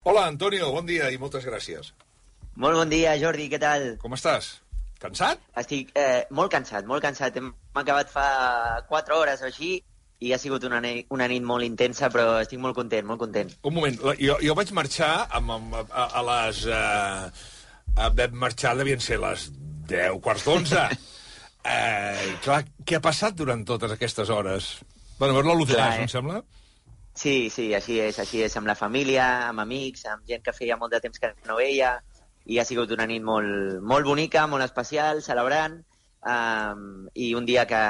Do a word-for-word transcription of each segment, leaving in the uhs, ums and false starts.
Hola, Antonio, bon dia i moltes gràcies. Molt bon dia, Jordi, què tal? Com estàs? Cansat? Estic eh, molt cansat, molt cansat. Hem acabat fa quatre hores o així i ha sigut una, ne una nit molt intensa, però estic molt content, molt content. Un moment, jo, jo vaig marxar amb, amb, a, a les... Eh, vam marxar, devien ser les deu, quarts d'onze. eh, clar, què ha passat durant totes aquestes hores? Bueno, veure l'U T S, eh? Em sembla? Sí, sí, així és, així és, amb la família, amb amics, amb gent que feia molt de temps que no veia, i ha sigut una nit molt, molt bonica, molt especial, celebrant, um, i un dia que,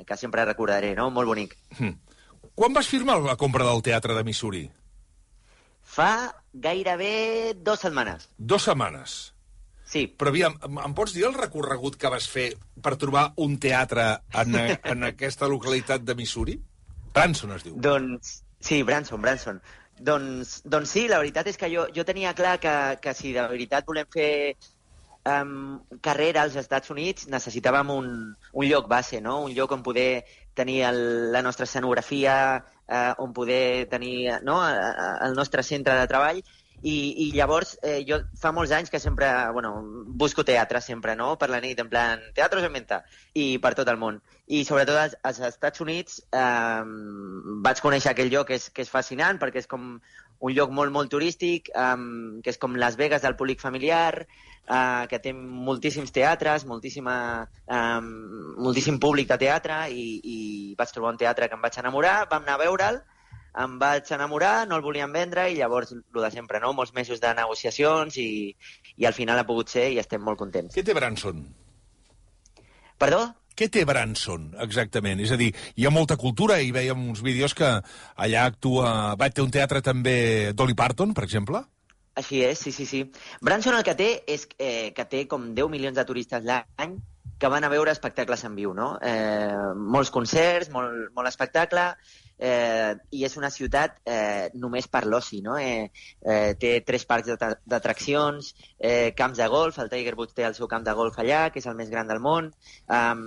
que sempre recordaré, no? Molt bonic. Hmm. Quan vas firmar la compra del Teatre de Missouri? Fa gairebé dues setmanes. Dues setmanes? Sí. Però aviam, em pots dir el recorregut que vas fer per trobar un teatre en, en aquesta localitat de Missouri? Branson es diu. Doncs... Sí, Branson, Branson. Doncs, doncs sí, la veritat és que jo, jo tenia clar que, que si de veritat volem fer um, carrera als Estats Units necessitàvem un, un lloc base, no? Un lloc on poder tenir el, la nostra escenografia, uh, on poder tenir, no? el nostre centre de treball. I, i llavors, eh, jo fa molts anys que sempre, bueno, busco teatre sempre, no?, per la nit, en plan, teatros en venta, i per tot el món. I sobretot als, als Estats Units eh, vaig conèixer aquell lloc que és, que és fascinant, perquè és com un lloc molt, molt turístic, eh, que és com Las Vegas del públic familiar, eh, que té moltíssims teatres, moltíssima, eh, moltíssim públic de teatre, i, i vaig trobar un teatre que em vaig enamorar, vam anar a veure'l, em vaig enamorar, no el volien vendre, i llavors, el de sempre, no? Molts mesos de negociacions, i, i al final ha pogut ser, i estem molt contents. Què té Branson? Perdó? Què té Branson, exactament? És a dir, hi ha molta cultura, i veiem uns vídeos que allà actua... Va té un teatre també Dolly Parton, per exemple? Així és, sí, sí, sí. Branson el que té és eh, que té com deu milions de turistes l'any que van a veure espectacles en viu, no? Eh, molts concerts, molt, molt espectacle... Eh, i és una ciutat eh, només per l'oci, no? Eh, eh, té tres parcs d'atraccions, eh, camps de golf, el Tiger Woods té el seu camp de golf allà, que és el més gran del món, um,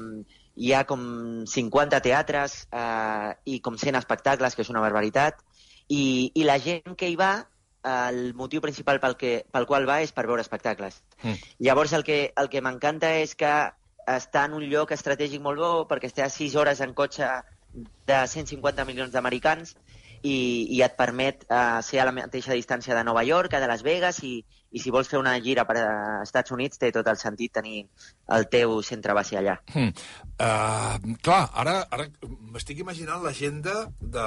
hi ha com cinquanta teatres eh, i com cent espectacles, que és una barbaritat, i, i la gent que hi va, el motiu principal pel, que, pel qual va és per veure espectacles. Mm. Llavors el que, el que m'encanta és que està en un lloc estratègic molt bo, perquè està a sis hores en cotxe de cent cinquanta milions d'americans, i, i et permet uh, ser a la mateixa distància de Nova York, de Las Vegas, i, i si vols fer una gira per als Estats Units té tot el sentit tenir el teu centre base allà. Hmm. Uh, clar, ara, ara m'estic imaginant l'agenda de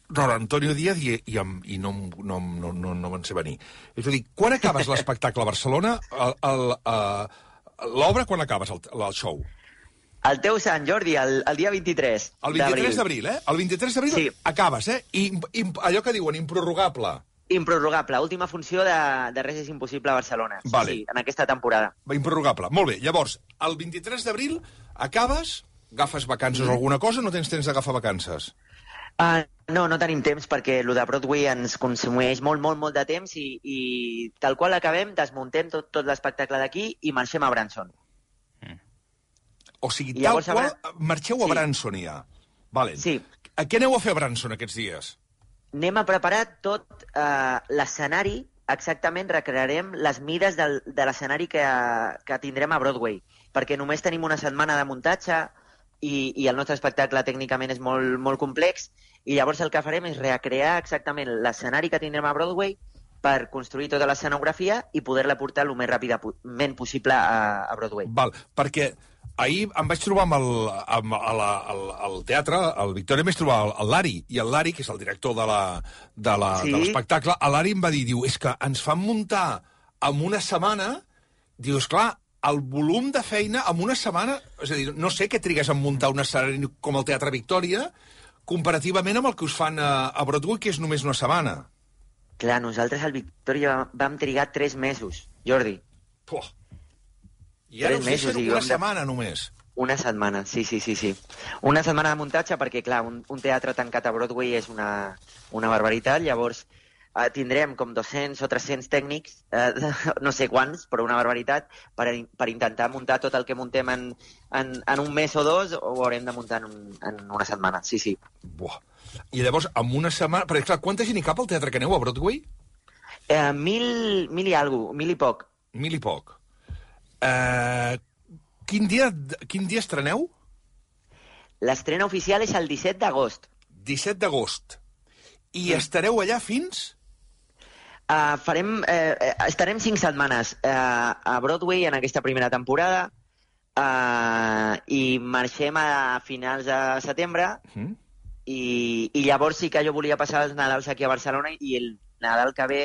Roland Antonio Díaz i, i, i no, no, no, no, no me'n sé venir. És a dir, quan acabes l'espectacle a Barcelona, l'obra quan acabes, el, el show? El teu Sant Jordi, el, el dia vint-i-tres El vint-i-tres d'abril, eh? El vint-i-tres d'abril sí. Acabes, eh? I, i allò que diuen, improrrogable. Improrrogable, última funció de, de Res és impossible a Barcelona. Vale. Sí, en aquesta temporada. Improrrogable, molt bé. Llavors, el vint-i-tres d'abril acabes, agafes vacances o alguna cosa, no tens temps d'agafar vacances? Uh, no, no tenim temps perquè el de Broadway ens consumeix molt, molt, molt de temps i, i tal qual acabem, desmuntem tot, tot l'espectacle d'aquí i marxem a Branson. O sigui, tal llavors, qual, marxeu a sí. Branson ja. Vale. Sí. A què aneu a fer a Branson aquests dies? Anem a preparar tot uh, l'escenari, exactament recrearem les mides del, de l'escenari que, que tindrem a Broadway, perquè només tenim una setmana de muntatge i, i el nostre espectacle tècnicament és molt, molt complex, i llavors el que farem és recrear exactament l'escenari que tindrem a Broadway per construir tota l'escenografia i poder-la portar el més ràpidament possible a, a Broadway. Val, perquè ahir em vaig trobar amb el, amb el, el, el teatre, el Victòria, em vaig trobar el, el Lari, i el Lari, que és el director de l'espectacle, sí? El Lari em va dir, diu, és que ens fan muntar en una setmana, diu, esclar, el volum de feina en una setmana, és a dir, no sé què trigues en muntar un escenari com el Teatre Victòria, comparativament amb el que us fan a, a Broadway, que és només una setmana. Clar, nosaltres al Victòria vam trigar tres mesos, Jordi. Puh. I ara us deixen una setmana només. Una setmana, sí, sí, sí, sí. Una setmana de muntatge perquè, clar, un, un teatre tancat a Broadway és una, una barbaritat, llavors eh, tindrem com dos-cents o tres-cents tècnics, eh, no sé quants, però una barbaritat, per, per intentar muntar tot el que muntem en, en, en un mes o dos, ho haurem de muntar en, un, en una setmana, sí, sí. Buah. I llavors, en una setmana... Perquè, clar, quanta gent hi cap al teatre que aneu a Broadway? Eh, mil, mil i alguna cosa, mil i poc. Mil i poc. Uh, quin, dia, quin dia estreneu? L'estrena oficial és el disset d'agost. disset d'agost. I mm. estareu allà fins? Uh, farem, uh, estarem cinc setmanes uh, a Broadway en aquesta primera temporada uh, i marxem a finals de setembre mm. i, i llavors sí que jo volia passar els Nadals aquí a Barcelona i el Nadal que ve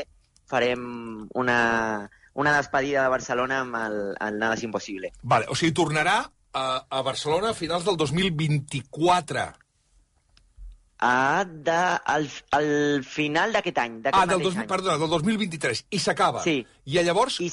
farem una, una despedida de Barcelona amb el, el Nada es Impossible. Vale, o sigui, tornarà a, a Barcelona a finals del dos mil vint-i-quatre. Ah, de, al, al final d'aquest any. Ah, del, dos, perdona, del dos mil vint-i-tres. I s'acaba. Sí. I llavors, I,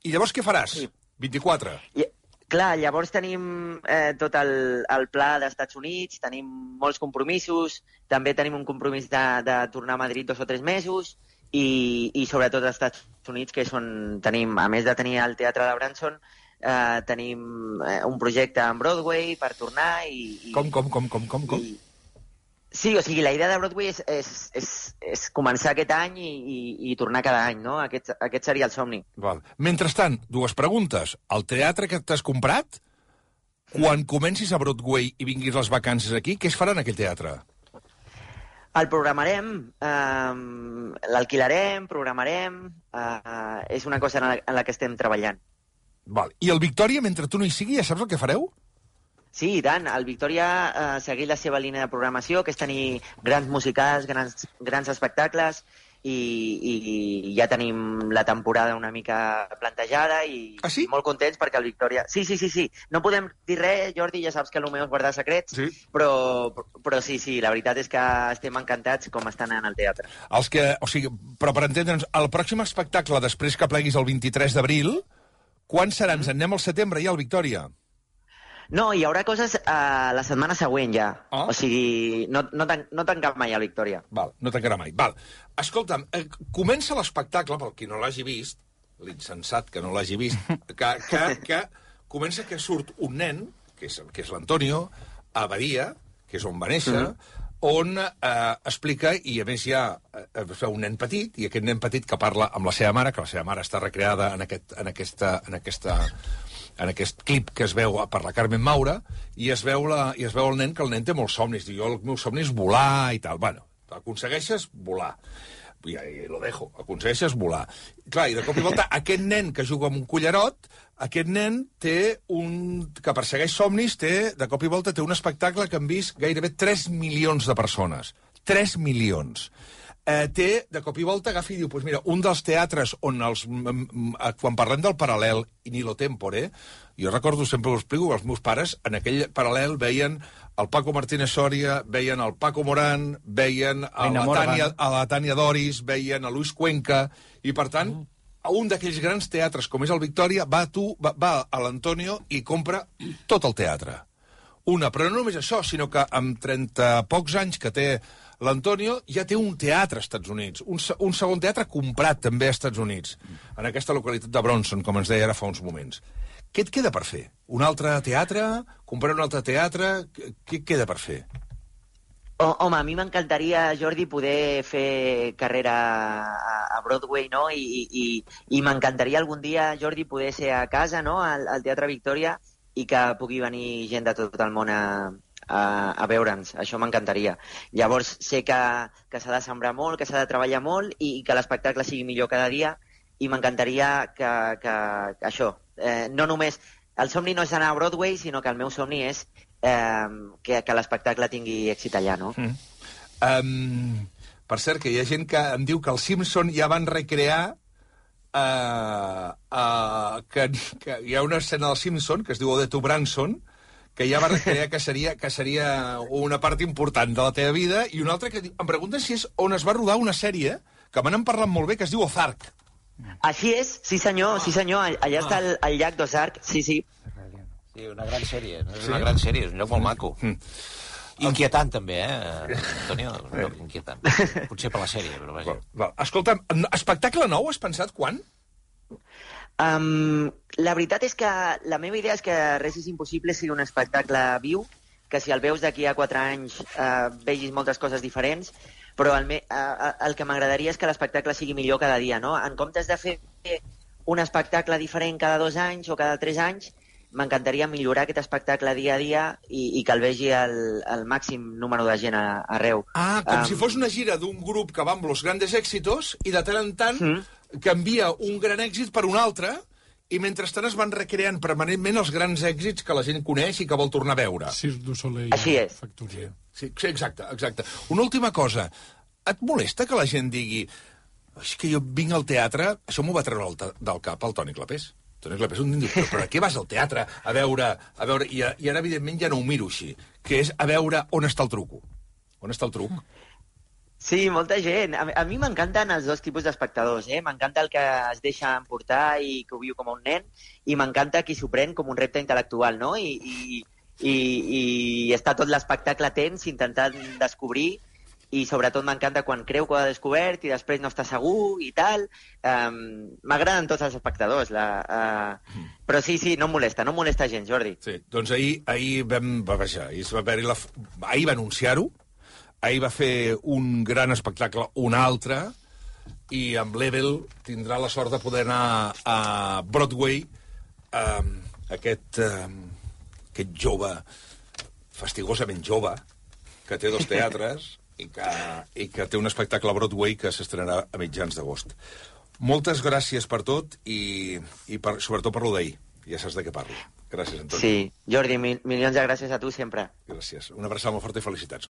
I llavors què faràs? Sí. vint-i-quatre. I, clar, llavors tenim eh, tot el, el pla d'Estats Units, tenim molts compromisos, també tenim un compromís de, de tornar a Madrid dos o tres mesos, i, i sobretot als Estats Units, que és on tenim, a més de tenir el Teatre de Branson, eh, tenim eh, un projecte en Broadway per tornar i... i com, com, com, com, com? com? I, sí, o sigui, la idea de Broadway és, és, és, és començar aquest any i, i, i tornar cada any, no? Aquest, aquest seria el somni. Val. Mentrestant, dues preguntes. El teatre que t'has comprat, quan comencis a Broadway i vinguis les vacances aquí, què es farà en aquell teatre? El programarem, eh, l'alquilarem, programarem... Eh, és una cosa en la, en la que estem treballant. Val. I el Victòria, mentre tu no hi sigui, ja saps el que fareu? Sí, i tant. El Victòria ha eh, seguit la seva línia de programació, que és tenir grans musicals, grans, grans espectacles, i, i, i ja tenim la temporada una mica plantejada i ah, sí? molt contents perquè el Victòria... Sí, sí, sí, sí. No podem dir res, Jordi, ja saps que el meu és guardar secrets, sí. però, però sí, sí, la veritat és que estem encantats com estan anant al teatre. Els que, o sigui, però per entendre'ns, el pròxim espectacle, després que pleguis el vint-i-tres d'abril, quan serà? Ens en anem al setembre ja, al Victòria? No, hi haurà coses uh, la setmana següent ja. Oh. O sigui, no, no, tan, no tancarà mai a Victòria. Val, no tancarà mai. Val. Escolta'm, eh, comença l'espectacle, pel qui no l'hagi vist, l'insensat que no l'hagi vist, que, que, que comença que surt un nen, que és, que és l'Antonio, a Badia, que és on va néixer, mm-hmm. on eh, explica, i a més hi ha eh, un nen petit, i aquest nen petit que parla amb la seva mare, que la seva mare està recreada en, aquest, en aquesta... En aquesta en aquest clip que es veu per la Carmen Maura, i es veu, la, i es veu el nen, que el nen té molts somnis. Diu, jo el meu somni és volar i tal. Bueno, aconsegueixes volar. I, i lo dejo. Aconsegueixes volar. Clar, i de cop i volta, aquest nen que juga amb un cullerot, aquest nen té un... que persegueix somnis, té, de cop i volta, té un espectacle que han vist gairebé tres milions de persones. tres milions. Eh, té, de cop i volta, agafa i diu, pues mira, un dels teatres on els... quan parlem del paral·lel i ni lo tempore, jo recordo, sempre ho explico, els meus pares en aquell paral·lel veien el Paco Martínez Soria, veien el Paco Morán, veien a la, Tània, a la Tània Doris, veien a Luis Cuenca, i per tant, a un d'aquells grans teatres com és el Victòria, va, tu, va, va a l'Antonio i compra tot el teatre. Una, però no només això, sinó que amb trenta pocs anys que té l'Antonio ja té un teatre als Estats Units, un, un segon teatre comprat també als Estats Units, en aquesta localitat de Bronson, com ens deia ara fa uns moments. Què et queda per fer? Un altre teatre? Comprar un altre teatre? Què et queda per fer? Oh, home, a mi m'encantaria, Jordi, poder fer carrera a Broadway, no? I, i, i m'encantaria algun dia, Jordi, poder ser a casa, no?, al, al Teatre Victòria, i que pugui venir gent de tot el món a, a, a veure'ns. Això m'encantaria. Llavors, sé que, que s'ha de sembrar molt, que s'ha de treballar molt i, i que l'espectacle sigui millor cada dia, i m'encantaria que, que, que això, eh, no només... El somni no és anar a Broadway, sinó que el meu somni és eh, que, que l'espectacle tingui èxit allà, no? Mm. Um, per cert, que hi ha gent que em diu que els Simpson ja van recrear Uh, uh, que, que hi ha una escena del Simpson que es diu Ode to Branson, que ja va recrear que seria, que seria una part important de la teva vida, i una altra que em pregunten si és on es va rodar una sèrie que me n'han parlat molt bé, que es diu Ozark. Així és, sí senyor, sí senyor, allà està el, el llac d'Ozark, sí, sí. Sí, una gran sèrie, és una gran sèrie, és un lloc molt maco. Mm. Inquietant, també, eh, Antonio? No, inquietant. Potser per la sèrie, però vaja. Val, val. Escolta'm, espectacle nou, has pensat quan? Um, la veritat és que la meva idea és que Res és impossible sigui un espectacle viu, que si el veus d'aquí a quatre anys uh, vegis moltes coses diferents, però el, me, el que m'agradaria és que l'espectacle sigui millor cada dia, no? En comptes de fer un espectacle diferent cada dos anys o cada tres anys, m'encantaria millorar aquest espectacle dia a dia i, i que el vegi el, el màxim número de gent a, arreu. Ah, com um, um, si fos una gira d'un grup que va amb los grandes éxitos i de tant en tant mm. canvia un gran èxit per un altre i mentrestant es van recreant permanentment els grans èxits que la gent coneix i que vol tornar a veure. Cirque du Soleil. Així és. Factoria. Sí, sí, exacte, exacte. Una última cosa. Et molesta que la gent digui és que jo vinc al teatre... Això m'ho va treure del cap el Toni Clapés. Toni Clapés un dia diu, però, però a què vas al teatre a veure... A veure i, I ara, evidentment, ja no ho miro així, que és a veure on està el truco. On està el truc? Sí, molta gent. A, a mi m'encanten els dos tipus d'espectadors, eh? M'encanta el que es deixa emportar i que ho viu com un nen, i m'encanta qui s'ho pren com un repte intel·lectual, no? I, i, i, i està tot l'espectacle tens, intentant descobrir, i sobretot m'encanta quan creu que ho ha descobert i després no està segur i tal. Um, M'agraden tots els espectadors. La, uh... mm. Però sí, sí, no em molesta, no em molesta gens, Jordi. Sí, doncs ahir, ahir vam... Va baixar, ahir, va la... ahir va anunciar-ho, ahir va fer un gran espectacle, un altre, i amb l'Ebel tindrà la sort de poder anar a Broadway, um, aquest, um, aquest jove, fastigosament jove, que té dos teatres i que, i que té un espectacle a Broadway que s'estrenarà a mitjans d'agost. Moltes gràcies per tot i, i per, sobretot per lo d'ahir. Ja saps de què parlo. Gràcies, Antoni. Sí, Jordi, mil, milions de gràcies a tu sempre. Gràcies. Una abraçada molt forta i felicitats.